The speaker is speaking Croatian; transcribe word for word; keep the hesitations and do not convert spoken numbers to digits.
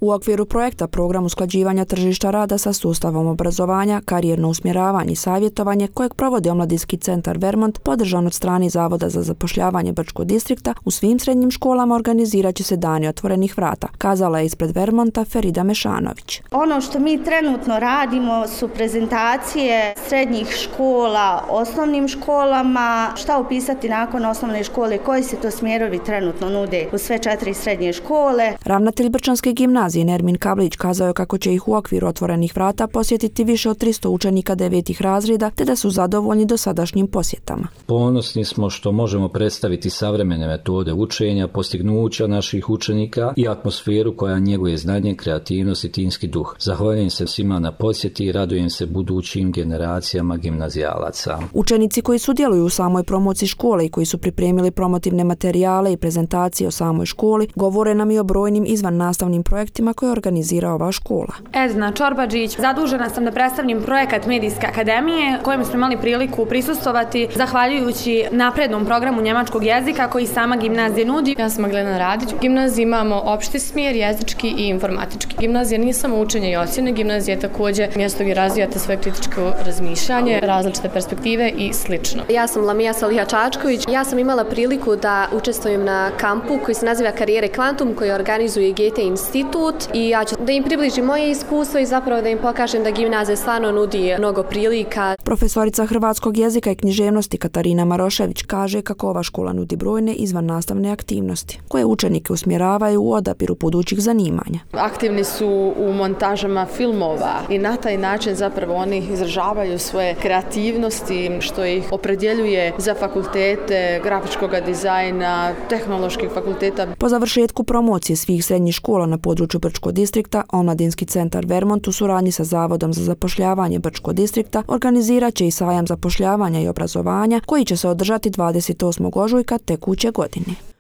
U okviru projekta Program usklađivanja tržišta rada sa sustavom obrazovanja, karijerno usmjeravanje i savjetovanje kojeg provodi Omladinski centar Vermont, podržan od strane Zavoda za zapošljavanje Brčkog distrikta, u svim srednjim školama organizirat će se dani otvorenih vrata, kazala je ispred Vermonta Ferida Mešanović. Ono što mi trenutno radimo su prezentacije srednjih škola, osnovnim školama, šta upisati nakon osnovne škole, koji se to smjerovi trenutno nude u sve četiri srednje škole. Ravnatelj Brčanske gimnazije Nermin Kablić kazao je kako će ih u okviru otvorenih vrata posjetiti više od tristo učenika devetih razreda, te da su zadovoljni dosadašnjim posjetama. Ponosni smo što možemo predstaviti savremene metode učenja, postignuća naših učenika i atmosferu koja njeguje znanje, kreativnost i timski duh. Zahvaljujem se svima na posjeti i radujem se budućim generacijama gimnazijalaca. Učenici koji sudjeluju u samoj promociji škole i koji su pripremili promotivne materijale i prezentacije o samoj školi, govore nam i o brojnim izvan nastavnim projektima koje organizira ova škola. Edna Čorbađić, zadužena sam da predstavim projekat Medijske akademije, kojem smo imali priliku prisustvovati zahvaljujući naprednom programu njemačkog jezika koji sama gimnazija nudi. Ja sam Maglena Radić. U gimnaziji imamo opšti smjer, jezički i informatički. Gimnazija nije samo učenje i ocjene, gimnazija je također mjesto gdje razvijate svoje kritičko razmišljanje, različite perspektive i slično. Ja sam Lamija Saliha Čačković. Ja sam imala priliku da učestvujem na kampu koji se naziva Karijere Kvantum, koji organizuje G T institut, i ja ću da im približim moje iskustvo i zapravo da im pokažem da gimnazija stvarno nudi mnogo prilika. Profesorica hrvatskog jezika i književnosti Katarina Marošević kaže kako ova škola nudi brojne izvan nastavne aktivnosti, koje učenike usmjeravaju u odabiru budućih zanimanja. Aktivni su u montažama filmova i na taj način zapravo oni izražavaju svoje kreativnosti, što ih opredjeljuje za fakultete grafičkog dizajna, tehnoloških fakulteta. Po završetku promocije svih srednjih škola na području Brčkog distrikta, Omladinski centar Vermont u suradnji sa Zavodom za zapošljavanje Brčkog distrikta organizirat će i sajam zapošljavanja i obrazovanja koji će se održati dvadeset osmog ožujka tekuće godine.